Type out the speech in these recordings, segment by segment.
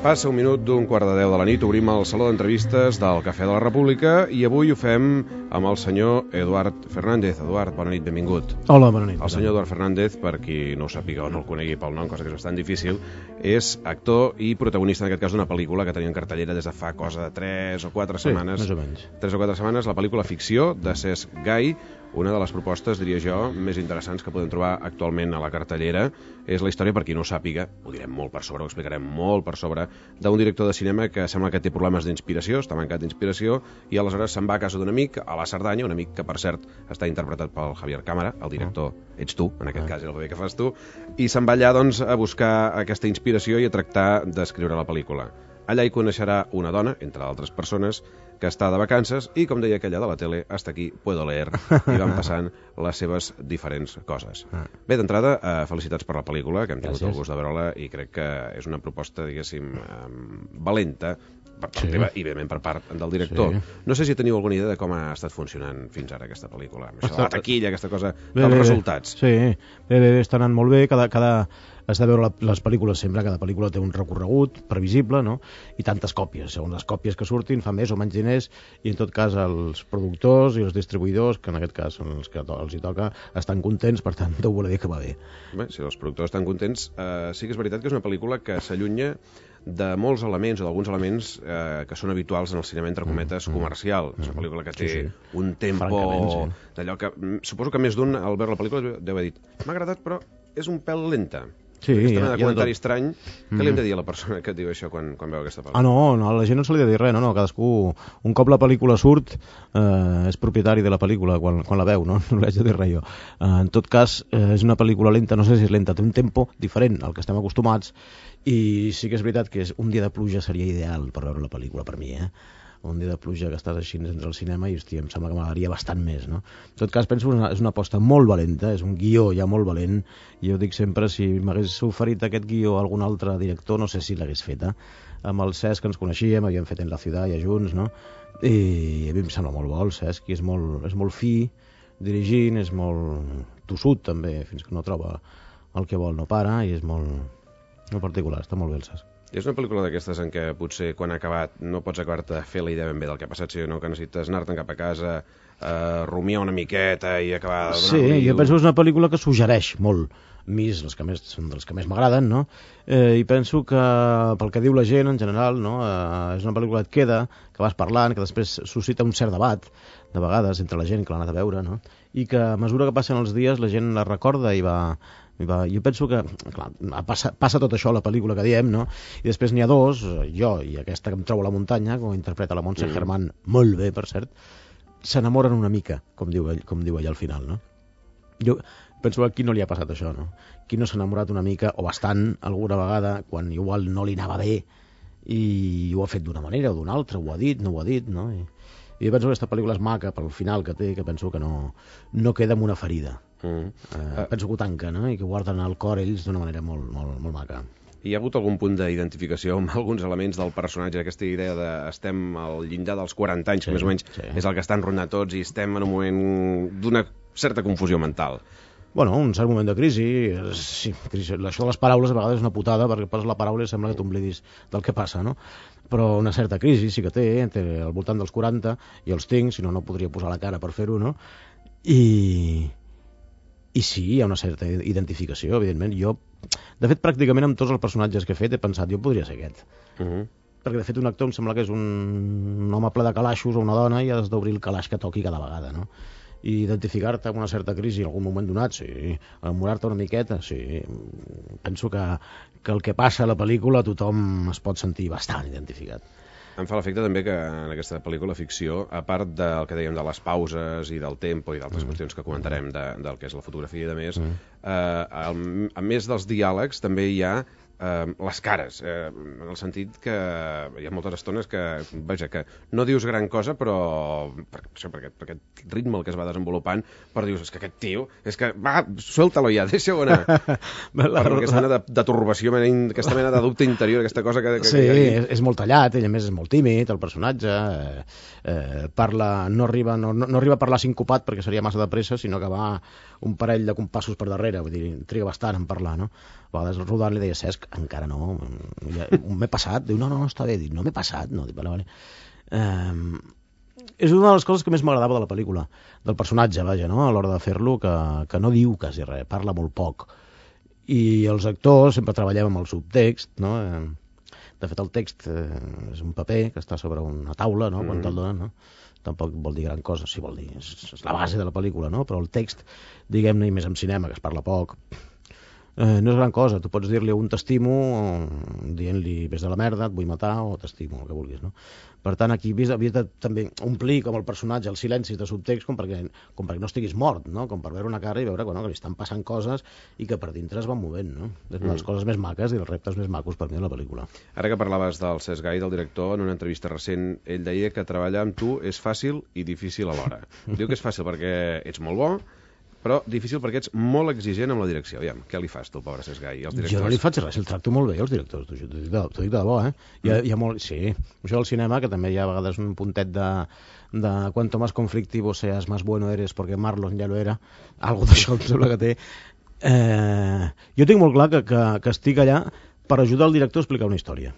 Passa un minut d'un quart de 10 de la nit, obrim el saló d'entrevistes del Cafè de la República i avui ho fem amb el senyor Eduard Fernández. Eduard, bona nit, benvingut. Hola, bona nit. El senyor Eduard Fernández, per qui no ho sàpiga o no el conegui pel nom, cosa que és bastant difícil, és actor i protagonista, en aquest cas, d'una pel·lícula que tenia en cartellera des de fa cosa de 3 o 4 setmanes. Més o menys. 3 o 4 setmanes, la pel·lícula Ficció, de Cesc Gai, una de les propostes, diria jo, més interessants que podem trobar actualment a la cartellera. És la història, per qui no ho sàpiga, ho direm molt per sobre, ho explicarem molt per sobre, d'un director de cinema que sembla que té problemes d'inspiració, està mancat d'inspiració, i aleshores se'n va a casa d'un amic, a la Cerdanya, un amic que, per cert, està interpretat pel Javier Cámara, el director ets tu, en aquest cas és el paper que fas tu, i se'n va allà, doncs, a buscar aquesta inspiració i a tractar d'escriure la pel·lícula. Allà hi coneixerà una dona, entre altres persones, que està de vacances i, com deia aquella de la tele, hasta aquí puedo leer, i van passant les seves diferents coses. Bé, d'entrada, felicitats per la pel·lícula, que hem tingut el gust de veure-la, i crec que és una proposta, diguéssim, valenta, per part teva i, evidentment, per part del director. No sé si teniu alguna idea de com ha estat funcionant fins ara aquesta pel·lícula. Això de la taquilla, aquesta cosa, dels resultats. Sí, bé, està anant molt bé, has de veure les pel·lícules sempre, cada pel·lícula té un recorregut previsible, no? I tantes còpies, segons les còpies que surtin fan més o menys diners, i en tot cas els productors i els distribuïdors, que en aquest cas són els que els hi toca, estan contents, per tant deu voler dir que va bé. Bé, si els productors estan contents, sí que és veritat que és una pel·lícula que s'allunya de molts elements o d'alguns elements que són habituals en el cinema, entre cometes, comercial. És una pel·lícula que té un tempo d'allò que suposo que més d'un al veure la pel·lícula deu haver dit m'ha agradat però és un pèl lenta. Sí, aquesta mena de comentari estrany, què li hem de dir a la persona que et diu això quan veu aquesta pel·lícula? No, a la gent no se li ha de dir res, no, cadascú, un cop la pel·lícula surt, és propietari de la pel·lícula quan la veu, no li haig de dir res jo. En tot cas, és una pel·lícula lenta, no sé si és lenta, té un tempo diferent al que estem acostumats, i sí que és veritat que un dia de pluja seria ideal per veure la pel·lícula, per mi, un dia de pluja que estàs així dins del cinema i, hòstia, em sembla que m'agradaria bastant més, no? En tot cas, penso que és una aposta molt valenta, és un guió ja molt valent, i jo dic sempre, si m'hagués oferit aquest guió a algun altre director, no sé si l'hagués fet, amb el Cesc ens coneixíem, havíem fet En la ciutat ja junts, no? I a mi em sembla molt bo el Cesc, i és molt fi dirigint, és molt tossut també, fins que no troba el que vol no para, i és molt particular, està molt bé el Cesc. És una pel·lícula d'aquestes en què potser quan ha acabat no pots acabar-te de fer la idea ben bé del que ha passat, sinó que necessites anar-te'n cap a casa, rumiar una miqueta i acabar... Sí, jo penso que és una pel·lícula que suggereix molt, són dels que més m'agraden, no? I penso que pel que diu la gent en general, no? És una pel·lícula que et queda, que vas parlant, que després suscita un cert debat, de vegades, entre la gent que l'ha anat a veure, no? I que a mesura que passen els dies la gent la recorda i va... Jo penso que, clar, passa tot això a la pel·lícula que diem, no? I després n'hi ha dos, jo i aquesta que em trobo a la muntanya, com interpreta la Montse Germán, molt bé, per cert, s'enamoren una mica, com diu ella al final, no? Jo penso que a qui no li ha passat això, no? Qui no s'ha enamorat una mica, o bastant, alguna vegada, quan igual no li anava bé, i ho ha fet d'una manera o d'una altra, ho ha dit, no ho ha dit, no? I jo penso que aquesta pel·lícula és maca pel final que té, que penso que no queda amb una ferida. Penso que ho tanca, no? I que guarden al cor ells d'una manera molt, molt, molt maca. Hi ha hagut algun punt d'identificació amb alguns elements del personatge, aquesta idea de estem al llindar dels 40 anys, que més o menys és el que estan rondant tots, i estem en un moment d'una certa confusió mental? Bueno, un cert moment de crisi, sí, això de les paraules a vegades és una putada, perquè poses la paraula i sembla que t'oblidis del que passa, no? Però una certa crisi sí que té, al voltant dels 40, i els tinc, si no, no podria posar la cara per fer-ho, no? I sí, hi ha una certa identificació, evidentment. Jo, de fet, pràcticament amb tots els personatges que he fet he pensat, jo podria ser aquest. Perquè, de fet, un actor em sembla que és un home ple de calaixos o una dona i has d'obrir el calaix que toqui cada vegada, no? I identificar-te amb una certa crisi en algun moment donat, sí. Enamorar-te una miqueta, sí. Penso que el que passa a la pel·lícula tothom es pot sentir bastant identificat. Em fa l'efecte també que en aquesta pel·lícula ficció, a part del que dèiem de les pauses i del tempo i d'altres qüestions que comentarem del que és la fotografia i de més, a més dels diàlegs també hi ha les cares, en el sentit que hi ha moltes estones que, vaja, que no dius gran cosa, però per aquest ritme el que es va desenvolupant, però dius, és que aquest tio, és que, va, suelta-lo ja, deixa-ho anar. Per aquesta mena de turbació, aquesta mena de dubte interior, aquesta cosa que sí, és molt tallat, ell a més és molt tímid, el personatge, no arriba a parlar sincopat perquè seria massa de pressa, sinó que va un parell de compassos per darrere, vull dir, triga bastant en parlar, no? A vegades rodant li deia, Cesc, encara no. M'he passat. Diu, no, està bé. Dic, no m'he passat. No, dic, vale. És una de les coses que més m'agradava de la pel·lícula, del personatge, vaja, no? A l'hora de fer-lo, que no diu quasi res, parla molt poc. I els actors sempre treballem amb el subtext, no? De fet, el text és un paper que està sobre una taula, no? Quan te'l donen, no? Tampoc vol dir gran cosa, sí vol dir, és la base de la pel·lícula, no? Però el text, diguem-ne, i més en cinema, que es parla poc, no és gran cosa. Tu pots dir-li un t'estimo dient-li ves de la merda, et vull matar, o t'estimo, el que vulguis, no? Per tant, aquí havies de també omplir com el personatge els silencis de subtext com perquè no estiguis mort, no? Com per veure una cara i veure que li estan passant coses i que per dintre es van movent, no? És una de les coses més maques i els reptes més macos per mi de la pel·lícula. Ara que parlaves del Cesc Gai, del director, en una entrevista recent, ell deia que treballar amb tu és fàcil i difícil alhora. Diu que és fàcil perquè ets molt bo, però difícil perquè ets molt exigent amb la direcció. Aviam, què li fas tu, pobre Cesc Gai, als directors? Jo no li faig res, el tracto molt bé als directors, t'ho dic de debò, eh? Hi ha molt... Sí, això del cinema, que també hi ha a vegades un puntet de cuanto más conflictivo seas, más bueno eres, porque Marlon ja lo era, algo d'això em sembla que té. Jo tinc molt clar que estic allà per ajudar el director a explicar una història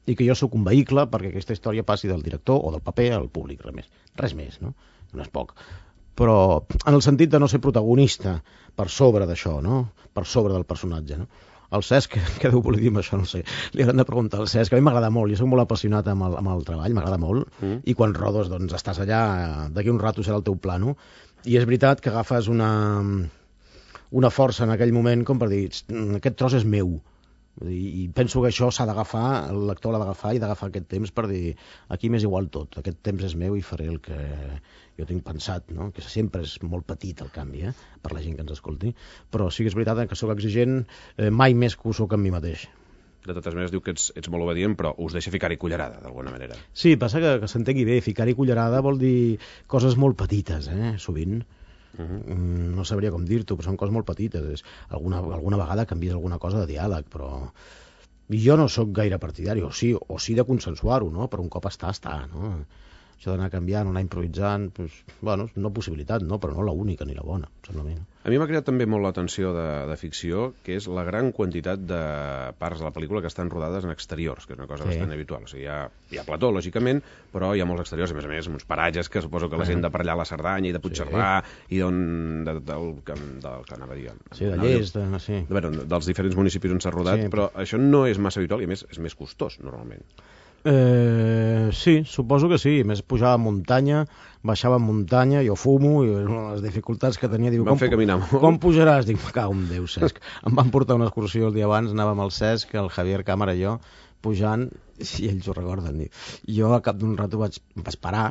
i que jo sóc un vehicle perquè aquesta història passi del director o del paper al públic, res més, no? No és poc. Però en el sentit de no ser protagonista per sobre d'això, no? Per sobre del personatge, no? El Cesc, què deu voler dir amb això? No sé. Li hauran de preguntar al Cesc, que a mi m'agrada molt, jo soc molt apassionat amb el treball, m'agrada molt, i quan rodes, doncs, estàs allà, d'aquí un rato serà el teu plano, i és veritat que agafes una força en aquell moment com per dir, aquest tros és meu, i penso que això s'ha d'agafar, el lector l'ha d'agafar i d'agafar aquest temps per dir, aquí m'és igual tot, aquest temps és meu i faré el que jo tinc pensat, no? Que sempre és molt petit el canvi, per la gent que ens escolti, però sí que és veritat que sóc exigent mai més que ho sóc amb mi mateix. De totes maneres diu que ets molt obedient, però us deixa ficar-hi cullerada, d'alguna manera. Sí, passa que s'entengui bé, ficar-hi cullerada vol dir coses molt petites, sovint. No sabria com dir-t'ho, però són coses molt petites. Alguna vegada canvies alguna cosa de diàleg, però jo no sóc gaire partidari, o sí de consensuar-ho, no? Però un cop està, no? Això d'anar canviant, anar improvisant, bueno, és una possibilitat, no? Però no la única ni la bona, sembla a mi. A mi m'ha creat també molt l'atenció de ficció, que és la gran quantitat de parts de la pel·lícula que estan rodades en exteriors, que és una cosa bastant habitual. O sigui, hi ha plató, lògicament, però hi ha molts exteriors, a més, uns paratges que suposo que la gent de per allà a la Cerdanya i de Puigcerdà i del que anava a dir... Sí, de Llers, sí. Dels diferents municipis on s'ha rodat, però això no és massa habitual i, a més, és més costós, normalment. Sí, suposo que sí. Més pujava a muntanya, baixava a muntanya, jo fumo, i una de les dificultats que tenia... Em van fer caminar molt. Com pujaràs? Dic, me cago en Déu, Cesc. Em van portar una excursió el dia abans, anàvem al Cesc, el Javier Cámara i jo, pujant, i ells ho recorden. Jo a cap d'un rato em vaig parar,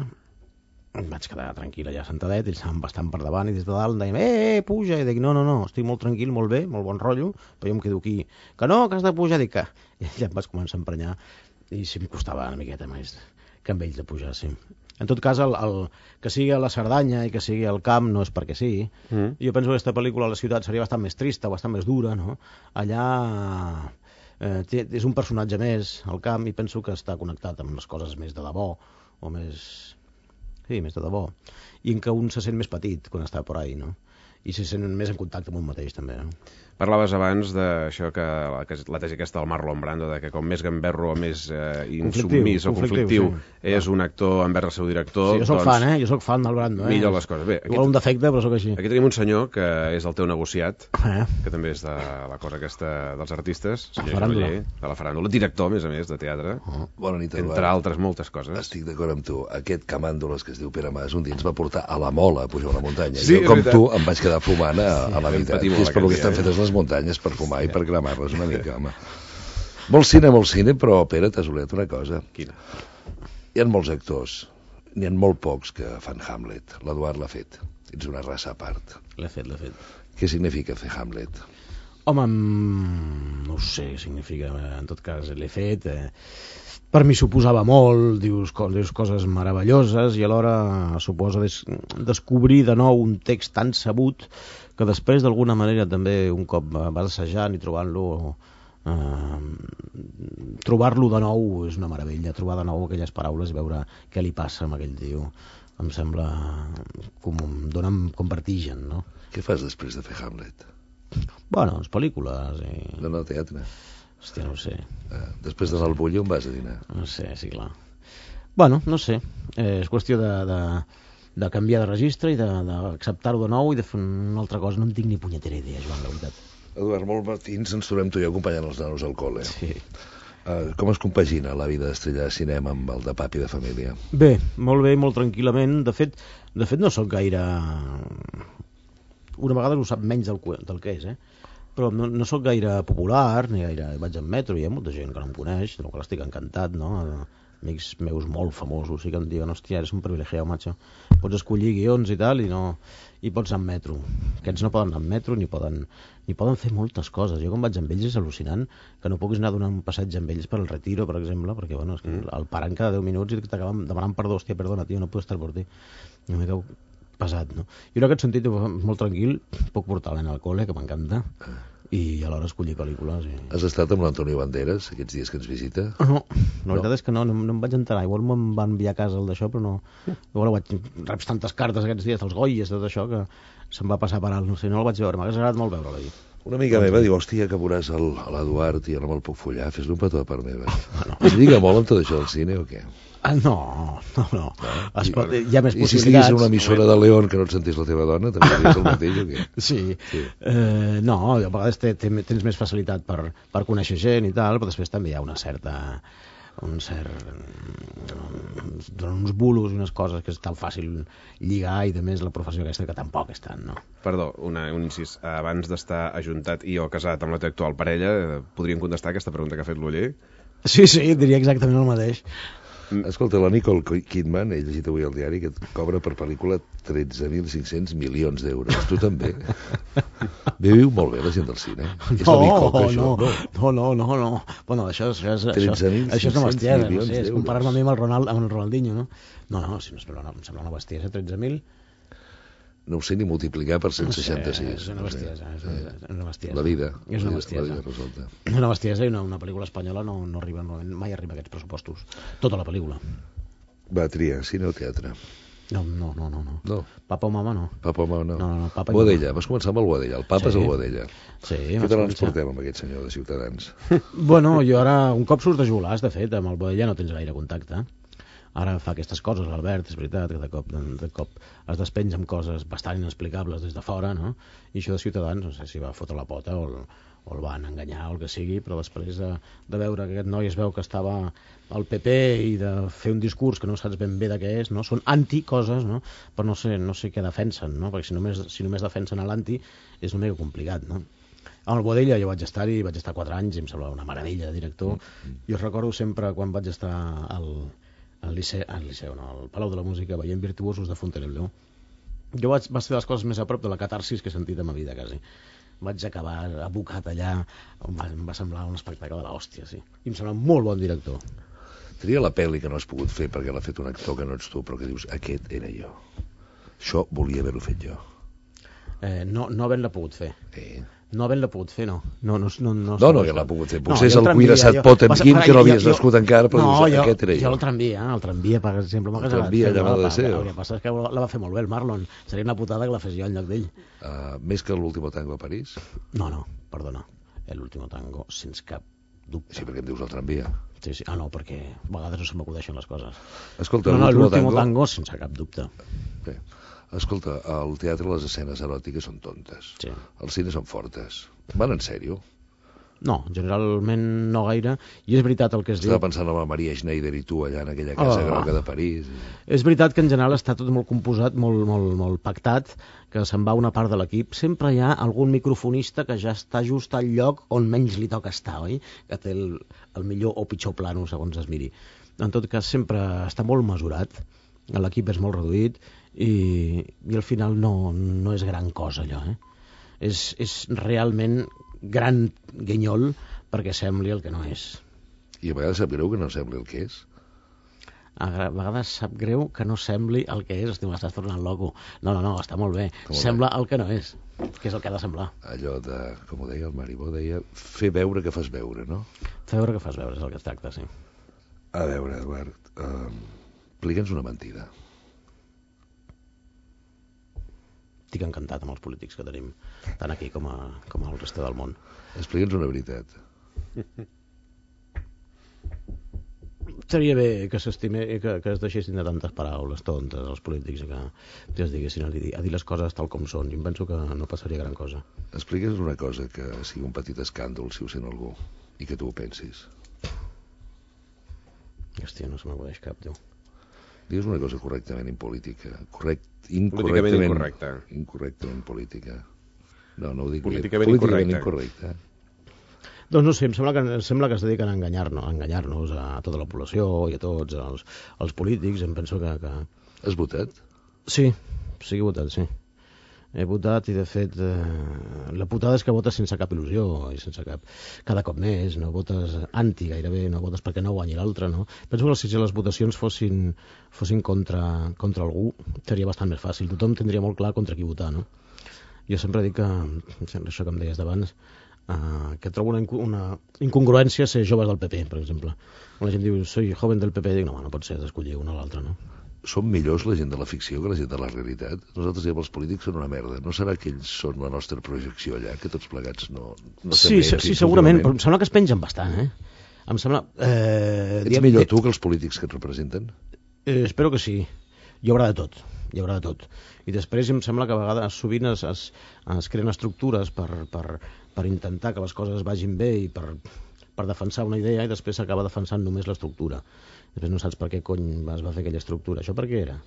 em vaig quedar tranquil allà sentadet, ells estaven bastant per davant, i des de dalt em deien, puja, i dic, no, estic molt tranquil, molt bé, molt bon rotllo, però jo em quedo aquí, que no, que has de pujar, dic que... I ja em vaig començar a emprenyar, i sí em costava una miqueta més que amb ells de pujar, sí. En tot cas, que sigui a la Cerdanya i que sigui al camp no és perquè sí. Jo penso que aquesta pel·lícula a la ciutat seria bastant més trista, bastant més dura, no? Allà és un personatge més al camp i penso que està connectat amb les coses més de debò, o més... Sí, més de debò. I en què un se sent més petit quan està por ahí, no? I se sent més en contacte amb un mateix, també, no? Parlaves abans d'això que la tesi aquesta del Marlon Brando, de que com més gamberro o més insubmís o conflictiu és un actor envers el seu director... Sí, jo soc fan, jo soc fan del Brando. Millor les coses. Bé, igual un defecte, però soc així. Aquí tenim un senyor que és el teu negociat, que també és de la cosa aquesta dels artistes, senyor Cavaller, de la faràndula, director, a més, de teatre. Bona nit, Eduard. Entre altres moltes coses. Estic d'acord amb tu. Aquest camàndoles que es diu Pere Mas un dia ens va portar a la Mola a pujar una muntanya. Sí, jo, com tu, em vaig quedar fumant a la meitat. Que és per lo que estan fetes les muntanyes, per fumar i per cremar-les una mica, home. Molt cine, però, Pere, t'has oblidat una cosa. Quina? Hi ha molts actors, n'hi ha molt pocs que fan Hamlet. L'Eduard l'ha fet. Ets una raça a part. L'he fet. Què significa fer Hamlet? Home, no ho sé què significa. En tot cas, l'he fet... Per mi suposava molt, dius coses meravelloses i alhora suposa descobrir de nou un text tan sabut que després d'alguna manera també un cop vas assajant i trobar-lo de nou és una meravella, trobar de nou aquelles paraules i veure què li passa amb aquell tio em sembla com vertigen, no? Què fas després de fer Hamlet? Bueno, les pel·lícules No, teatre. Hòstia, no ho sé. Després d'anar al Bulli, on vas a dinar? No sé, sí, clar. Bueno, no sé. És qüestió de canviar de registre i d'acceptar-ho de nou i de fer una altra cosa. No en tinc ni punyetera idea, Joan, la veritat. Eduard, molt matins ens trobem tu i jo acompanyant els nanos al col·le. Sí. Com es compagina la vida d'estrella de cinema amb el de papi de família? Bé, molt bé, molt tranquil·lament. De fet no sóc gaire... Una vegada ho sap menys del que és, però no sóc gaire popular, ni gaire... Vaig en metro i hi ha molta gent que no em coneix, del qual estic encantat, no? Amics meus molt famosos i que em diuen, hòstia, eres un privilegiat, macho. Pots escollir guions i tal, i pots anar en metro. Aquests no poden anar en metro ni poden fer moltes coses. Jo quan vaig amb ells és al·lucinant que no puguis anar a donar un passeig amb ells per el Retiro, per exemple, perquè bueno, és que el paren cada 10 minuts i t'acaben demanant perdó. Hòstia, perdona, tio, no puc estar per ti. No m'he cau pesat, no? Jo en aquest sentit molt tranquil, puc portar la nena al col·le, que m'encanta, i alhora escollir pel·lícules. Has estat amb l'Antonio Banderas aquests dies que ens visita? No, la veritat és que no em vaig enterar. Igual me'n van enviar a casa el d'això, però no. Igual reps tantes cartes aquests dies dels Goyes, tot això, que se'm va passar per alt. No sé, no el vaig veure, m'hagués agradat molt veure-la ahir. Una amiga meva diu, hòstia, que veuràs l'Eduard i jo no me'l puc follar, fes-li un petó de part meva. Es lliga molt amb tot això del cine o què? No. Hi ha més possibilitats. I si estiguis en una emissora de León que no et sentís la teva dona, també diries el mateix o què? Sí. No, a vegades tens més facilitat per conèixer gent i tal, però després també hi ha uns bulos i unes coses que és tan fàcil lligar, i de més la professió aquesta que tampoc és tant, no? Perdó, un incís. Abans d'estar ajuntat i o casat amb la teva actual parella, podríem contestar aquesta pregunta que ha fet l'Oller? Sí, diria exactament el mateix. Escolta, la Nicole Kidman, he llegit avui al diari, que cobra per pel·lícula 13.500 milions d'euros. Tu també. Viu molt bé la gent del cine. És la Nicole, això. No. Bueno, això és una bestiesa, no sé, és comparar-me a mi amb el Ronaldinho, no? No, si no, em sembla una bestiesa, 13.000. No ho sé ni multiplicar per 166. És una bestiesa. La vida. És una bestiesa. La vida resulta. És una bestiesa, i una pel·lícula espanyola no arriba, mai arriba a aquests pressupostos. Tota la pel·lícula. Va, tria, cine o teatre? No. Papa o mama no. Papa o mama no. No, papa Boadella, vas començar amb el Boadella. El papa és el Boadella. Sí. Què tal ens portem amb aquest senyor de Ciutadans? Bueno, jo ara, un cop surts de Jolàs, de fet, amb el Boadella no tens gaire contacte. Ara fa aquestes coses, l'Albert, és veritat, que de cop es despenja amb coses bastant inexplicables des de fora, no? I això de Ciutadans, no sé si va fotre la pota o el van enganyar o el que sigui, però després de veure que aquest noi es veu que estava al PP i de fer un discurs que no saps ben bé de què és, no? Són anticoses, no? Però no sé què defensen, no? Perquè si només defensen a l'anti és una mica complicat, no? Amb el Boadella jo vaig estar 4 anys i em semblava una meravella de director. Jo recordo sempre quan vaig estar al Liceu, no, al Palau de la Música, veient Virtuosos de Fontainebleau. Jo va ser de les coses més a prop de la catarsis que he sentit a ma vida, quasi. Vaig acabar abocat allà, em va semblar un espectacle de l'hòstia, sí. I em sembla un molt bon director. Tria la pel·li que no has pogut fer perquè l'ha fet un actor que no ets tu, però que dius, aquest era jo. Això volia haver-ho fet jo. No havent-la pogut fer. No havent-la pogut fer, no. No, que l'ha pogut fer. Potser és el cuirassat Potemkin, que no havies nascut encara, però dius, aquest era jo. Jo el tramvia, per exemple, m'ha agradat. El tramvia llamado de Deseo. El que passa és que la va fer molt bé el Marlon. Seria una putada que la fes jo en lloc d'ell. Més que l'último tango a París? No, perdona. L'último tango, sense cap dubte. Sí, perquè em dius el tramvia. Sí. No, perquè a vegades no se m'acudeixen les coses. Escolta, l'último tango, sense cap dubte. Bé. Escolta, al teatre les escenes eròtiques són tontes. Sí. Els cines són fortes. Van en sèrio? No, generalment no gaire. I és veritat el que es diu... Estava pensant en la Maria Schneider i tu allà en aquella casa groga de París. És veritat que en general està tot molt composat, molt pactat, que se'n va una part de l'equip. Sempre hi ha algun microfonista que ja està just al lloc on menys li toca estar, oi? Que té el millor o pitjor plano, segons es miri. En tot cas, sempre està molt mesurat. L'equip és molt reduït i al final no és gran cosa allò, és realment gran guinyol perquè sembli el que no és. I a vegades sap greu que no sembli el que és? A vegades sap greu que no sembli el que és. Hosti, m'estàs tornant loco. No, està molt bé. Sembla el que no és, que és el que ha de semblar. Allò de, com ho deia el Maribó, deia fer veure que fas veure, no? Fer veure que fas veure és el que es tracta, sí. A veure, Eduard, explica'ns una mentida. Estic encantat amb els polítics que tenim, tant aquí com al resta del món. Explica'ns una veritat. Seria bé que es deixessin de tantes paraules tontes els polítics i que es diguessin a dir les coses tal com són. Jo em penso que no passaria gran cosa. Expliques una cosa que sigui un petit escàndol, si ho sent algú, i que tu ho pensis. Hòstia, no se m'acudeix cap, tio. Digues una cosa correctament impolítica. Políticament incorrecta. Incorrectament política. No ho dic políticament incorrecta. Doncs no sé, em sembla que es dediquen a enganyar-nos a tota la població i a tots els polítics. Em penso que... Has votat? Sí he votat, sí. He votat i, de fet, la putada és que votes sense cap il·lusió i sense cap... Cada cop més, no votes anti gairebé, no votes perquè no guanyi l'altre, no? Penso que si les votacions fossin contra algú, seria bastant més fàcil. Tothom tindria molt clar contra qui votar, no? Jo sempre dic que, això que em deies d'abans, que trobo una incongruència ser joves del PP, per exemple. Quan la gent diu, soy joven del PP, dic, no pot ser, d'escollir una o l'altra, no? Són millors la gent de la ficció que la gent de la realitat. Nosaltres diem els polítics són una merda. No serà que ells són la nostra projecció allà, que tots plegats no sí, segurament, però em sembla que es pengen bastant, Em sembla... Ets millor tu que els polítics que et representen? Espero que sí. Hi haurà de tot. I després em sembla que a vegades sovint es creen estructures per intentar que les coses vagin bé i per defensar una idea, i després s'acaba defensant només l'estructura. Després no saps per què cony es va fer aquella estructura. Això per què era?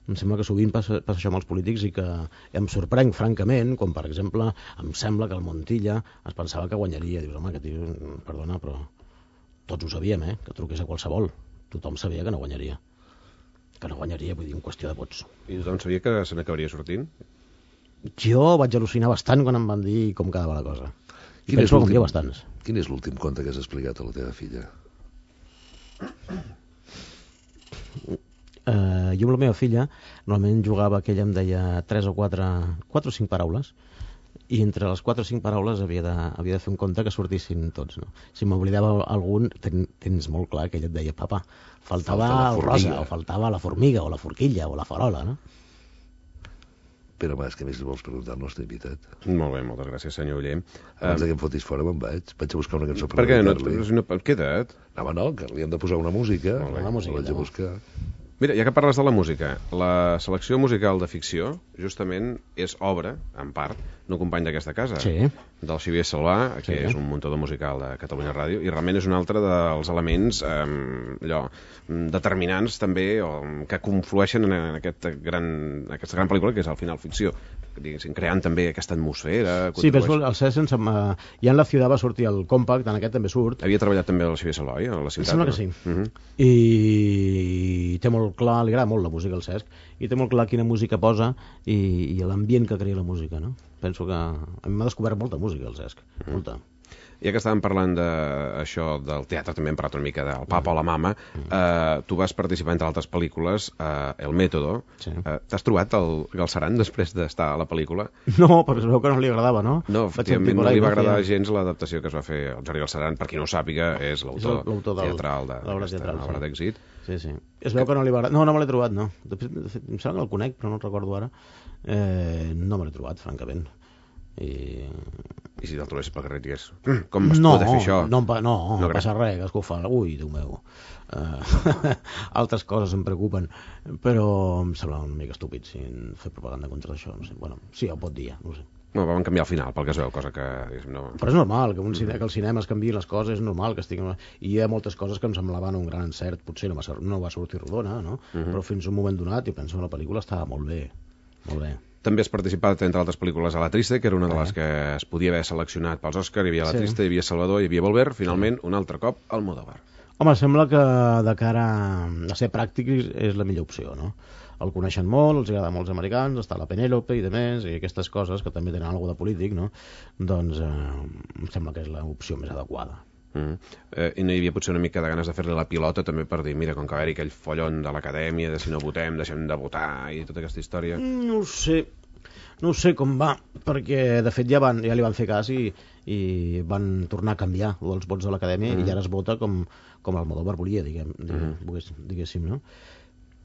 Em sembla que sovint passa això amb els polítics i que em sorprenc francament, com per exemple em sembla que el Montilla es pensava que guanyaria. Dius, home, que tio, perdona, però tots ho sabíem, que truqués a qualsevol. Tothom sabia que no guanyaria. Vull dir, en qüestió de vots. I tothom sabia que se n'acabaria sortint? Jo vaig al·lucinar bastant quan em van dir com quedava la cosa. Penso que bastants. Quin és l'últim conte que has explicat a la teva filla? Jo amb la meva filla normalment jugava que ella em deia 3 o 4 o 5 paraules, i entre les 4 o 5 paraules havia de fer un conte que sortissin tots, no? Si m'oblidava algun, tens molt clar que ella et deia, papa, faltava el rosa, o faltava la formiga, o la forquilla, o la farola, no? Pere Mas, què més vols preguntar-nos? T'he invitat. Molt bé, moltes gràcies, senyor Oller. Abans que em fotis fora me'n vaig a buscar una cançó per què no? Queda't. No, que li hem de posar una música. Una música, vaig a buscar. Mira, ja que parles de la música, la selecció musical de ficció justament és obra, en part, d'un company d'aquesta casa, del Xavier Salvà, que és un muntador musical de Catalunya Ràdio, i realment és un altre dels elements determinants també, que conflueixen en aquesta gran pel·lícula, que és al final ficció, diguéssim, creant també aquesta atmosfera. Sí, però el Cesc, ja en La Ciudad va sortir el Compact, en aquest també surt. Havia treballat també el Xavier Salvà, a la ciutat? Em sembla que sí. I té molt clar, li agrada molt la música al Cesc, i té molt clar quina música posa i l'ambient que crea la música, no? Penso que a mi m'ha descobert molta música al Cesc, molta. Ja que estàvem parlant d'això del teatre, també hem parlat una mica del Papa o la Mama, tu vas participar entre altres pel·lícules, El Método. T'has trobat el Galceran després d'estar a la pel·lícula? No, perquè es veu que no li agradava, no? No, efectivament no li va agradar gens l'adaptació que es va fer el Jordi Galceran. Per qui no ho sàpiga, és l'autor teatral d'obra d'èxit. Sí. Es veu que no li va agradar. No me l'he trobat, no. De fet, em sembla que el conec, però no el recordo ara. No me l'he trobat, francament. I si te'l trobessis pel carrer digués, com vas poder fer això? No passa res, que es fa. Ui, Déu meu. Altres coses em preocupen, però em sembla una mica estúpid fer propaganda contra això. No sé. Bueno, sí, ho pot dir ja, no sé. No, vam canviar al final, pel que es veu, cosa que... No... Però és normal, que al cinema es canviïn les coses, és normal que estiguin... I hi ha moltes coses que em semblaven un gran encert, potser no va sortir rodona, no? Però fins a un moment donat, jo penso que la pel·lícula estava molt bé, molt bé. També has participat, entre altres pel·lícules, a La Triste, que era una de les que es podia haver seleccionat pels Òscar. Hi havia La Triste, hi havia Salvador, hi havia Volver, finalment, un altre cop, Almodóvar. Home, sembla que de cara a ser pràctic és la millor opció, no? El coneixen molt, els agrada molts americans, està la Penélope i demés, i aquestes coses que també tenen alguna de polític, no? Doncs em sembla que és l'opció més adequada. I no hi havia potser una mica de ganes de fer-li la pilota també per dir, mira, com que va haver-hi aquell follon de l'acadèmia, de si no votem, deixem de votar i tota aquesta història? No ho sé com va, perquè de fet ja li van fer cas i van tornar a canviar els vots de l'acadèmia i ara es vota com Almodóvar volia, diguéssim, no?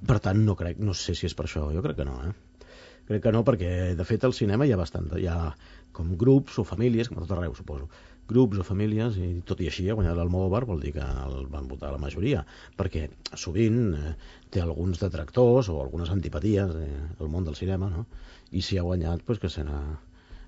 Per tant, no sé si és per això, jo crec que no, Crec que no, perquè de fet al cinema hi ha com grups o famílies, com a tot arreu, suposo, grups o famílies, i tot i així ha guanyat l'Almodóvar, vol dir que el van votar la majoria, perquè sovint té alguns detractors o algunes antipaties al món del cinema, no? I si ha guanyat, doncs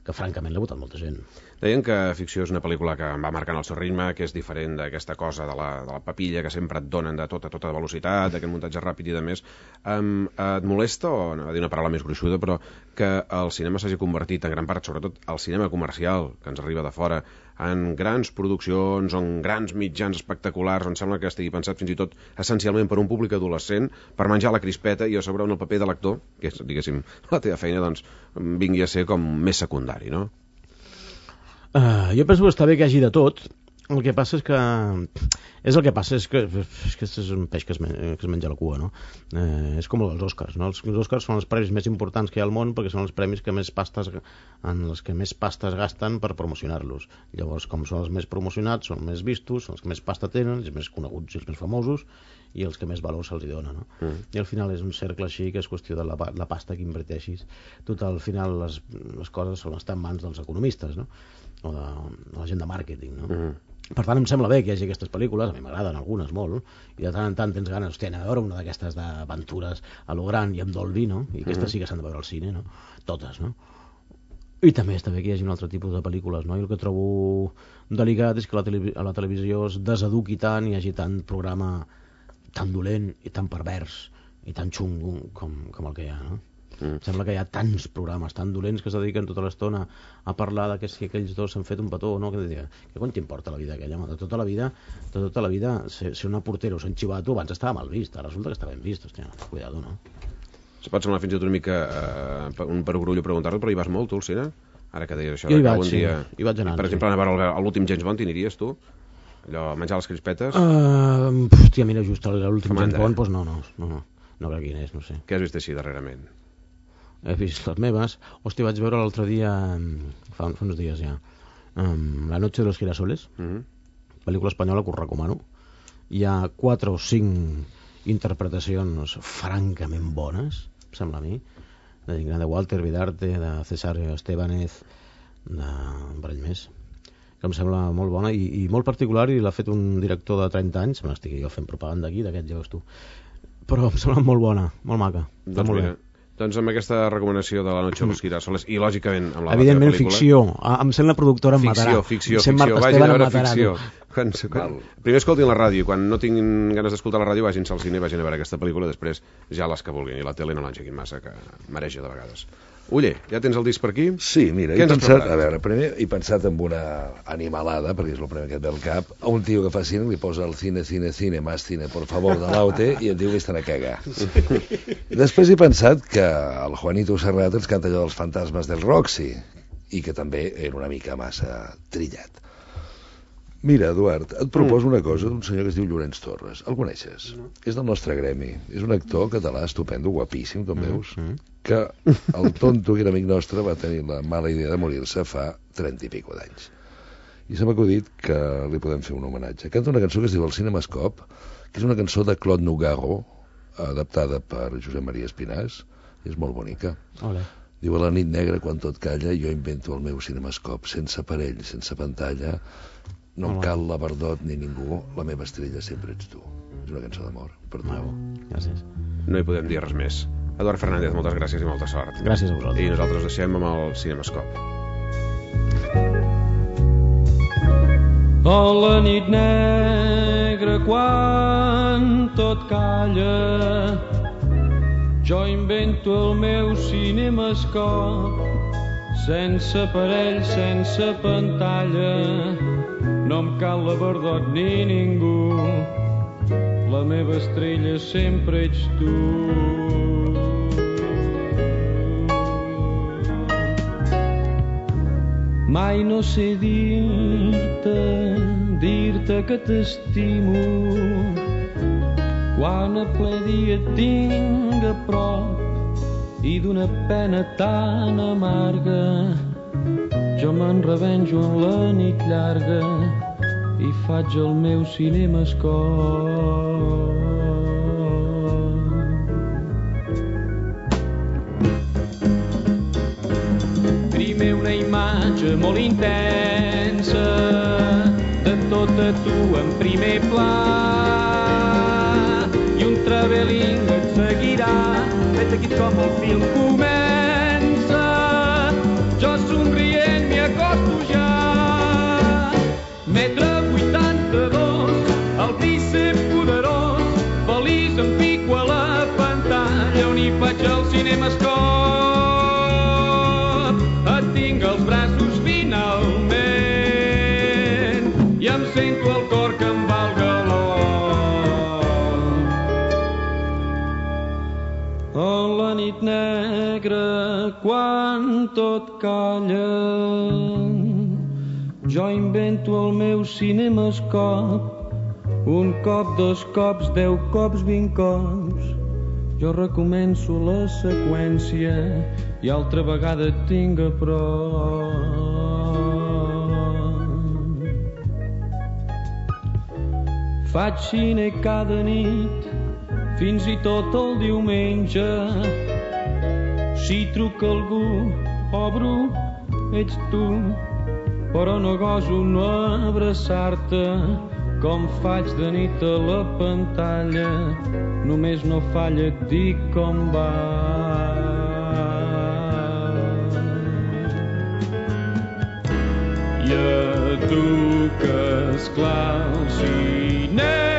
que francament l'ha votat molta gent. Deien que Ficció és una pel·lícula que va marcant el seu ritme, que és diferent d'aquesta cosa de la papilla que sempre et donen de tota velocitat, d'aquest muntatge ràpid i de més. Et molesta, o no va dir una paraula més gruixuda, però que el cinema s'hagi convertit en gran part, sobretot el cinema comercial, que ens arriba de fora, en grans produccions, en grans mitjans espectaculars, on sembla que estigui pensat fins i tot essencialment per un públic adolescent, per menjar la crispeta i a sobre on el paper de l'actor, que és, diguéssim, la teva feina, doncs vingui a ser com més secundari, no? Jo penso que està bé que hi hagi de tot. El que passa és que aquest és un peix que es menja la cua, no? És com els Oscars, no? Els Oscars són els premis més importants que hi ha al món perquè són els premis en els que més pastes gasten per promocionar-los. Llavors, com són els més promocionats, són més vistos, són els que més pasta tenen, els més coneguts i els més famosos, i els que més valor se'ls dona, no? I al final és un cercle així, que és qüestió de la pasta que inverteixis. Tot al final les coses estan en mans dels economistes, no? O de la gent de màrqueting, no? Per tant, em sembla bé que hi hagi aquestes pel·lícules, a mi m'agraden algunes molt, i de tant en tant tens ganes, hòstia, anem a veure una d'aquestes d'aventures a lo gran i amb Dolby, no? I aquestes sí que s'han de veure al cine, no? Totes, no? I també està bé que hi hagi un altre tipus de pel·lícules, no? I el que trobo delicat és que a la televisió es deseduqui tant i hi hagi tant programa tan dolent i tan pervers i tan xungo com el que hi ha, no? Sembla que hi ha tants programes tan dolents que es dediquen tota l'estona a parlar de que si aquells dos s'han fet un petó o no, que quan t'importa la vida aquella? De tota la vida ser una portera o ser un xivato abans estava mal vist, ara resulta que està ben vist, hòstia, cuidado, no? Se pot semblar fins i tot una mica un perogrullo preguntar-lo, però hi vas molt tu al cine? Ara que deies això, jo hi que vaig, algun dia... hi vaig anar, per exemple, anar a veure l'últim James Bond, t'hi aniries tu? Allò, menjar les crispetes? Hòstia, mira, just l'últim James Bond, doncs no crec quin és, no sé. Què has vist així darrerament? He vist les meves. Hòstia, vaig veure l'altre dia, fa uns dies ja, La noche de los girasoles, pel·lícula espanyola que us recomano. Hi ha 4 o 5 interpretacions francament bones, em sembla a mi, de Walter Vidarte, de César Estébanez, d'un parell més, que em sembla molt bona i molt particular, i l'ha fet un director de 30 anys, me n'estic jo fent propaganda aquí, d'aquest ja veus tu, però em sembla molt bona, molt maca. Doncs molt bé. Doncs amb aquesta recomanació de La noche de los girasoles i lògicament amb la evidentment pel·lícula... ficció, em sent la productora em matarà, ficció, vagin a veure ficció. Primer escoltin la ràdio, quan no tinguin ganes d'escoltar la ràdio vagin-se al cine i vagin a veure aquesta pel·lícula, després ja les que vulguin, i la tele no l'engeguin massa, que mareja de vegades. Ulle, ja tens el disc per aquí? Sí, mira, he pensat en una animalada, perquè és el primer que et ve al cap, a un tio que fa cine, li posa el cine, más cine, por favor, de l'Aute, i et diu que estan a cagar. Després he pensat que el Juanito Serrat ens canta allò dels fantasmes del Roxy, i que també era una mica massa trillat. Mira, Eduard, et proposo una cosa d'un senyor que es diu Llorenç Torres. El coneixes? És del nostre gremi. És un actor català estupendo, guapíssim, com veus, que el tonto, que era amic nostre, va tenir la mala idea de morir-se fa 30 i pico d'anys. I se m'ha acudit que li podem fer un homenatge. Canta una cançó que es diu El Cinemascop, que és una cançó de Claude Nougaro, adaptada per Josep Maria Espinàs, i és molt bonica. Olé. Diu, a la nit negra, quan tot calla, jo invento el meu cinemascop, sense aparell, sense pantalla. No em cal la Verdot ni ningú, la meva estrella sempre ets tu. És una cançó d'amor per tu. Gràcies. No hi podem dir res més. Eduard Fernández, moltes gràcies i molta sort. Gràcies a vosaltres. I nosaltres deixem amb el Cinemascop. A la nit negra quan tot calla, jo invento el meu cinemascop, sense aparell, sense pantalla. No em cal la Verdot ni ningú, la meva estrella sempre ets tu. Mai no sé dir-te que t'estimo, quan a ple dia et tinc a prop i d'una pena tan amarga jo me'n revenjo en la nit llarga i faig el meu cinemascop. primer una imatge molt intensa de tota tu en primer pla i un travelling et seguirà vet aquí com el film comença jo somrient m'hi acosto ja metre 82 el bíceps poderós feliç em pico a la pantalla on hi faig el cinemascop et tinc als braços finalment i em sento el cor que em va al galop a la nit negra quan tot calla jo invento el meu cinemascop un cop, 2 cops, 10 cops, 20 cops jo recomenço la seqüència i altra vegada et tinc a prop. Faig cine cada nit, fins i tot el diumenge. Si truca algú, obro, ets tu, però no goso no abraçar-te com faig de nit a la pantalla. Només no falla et dic com va. I a tu que esclar el cine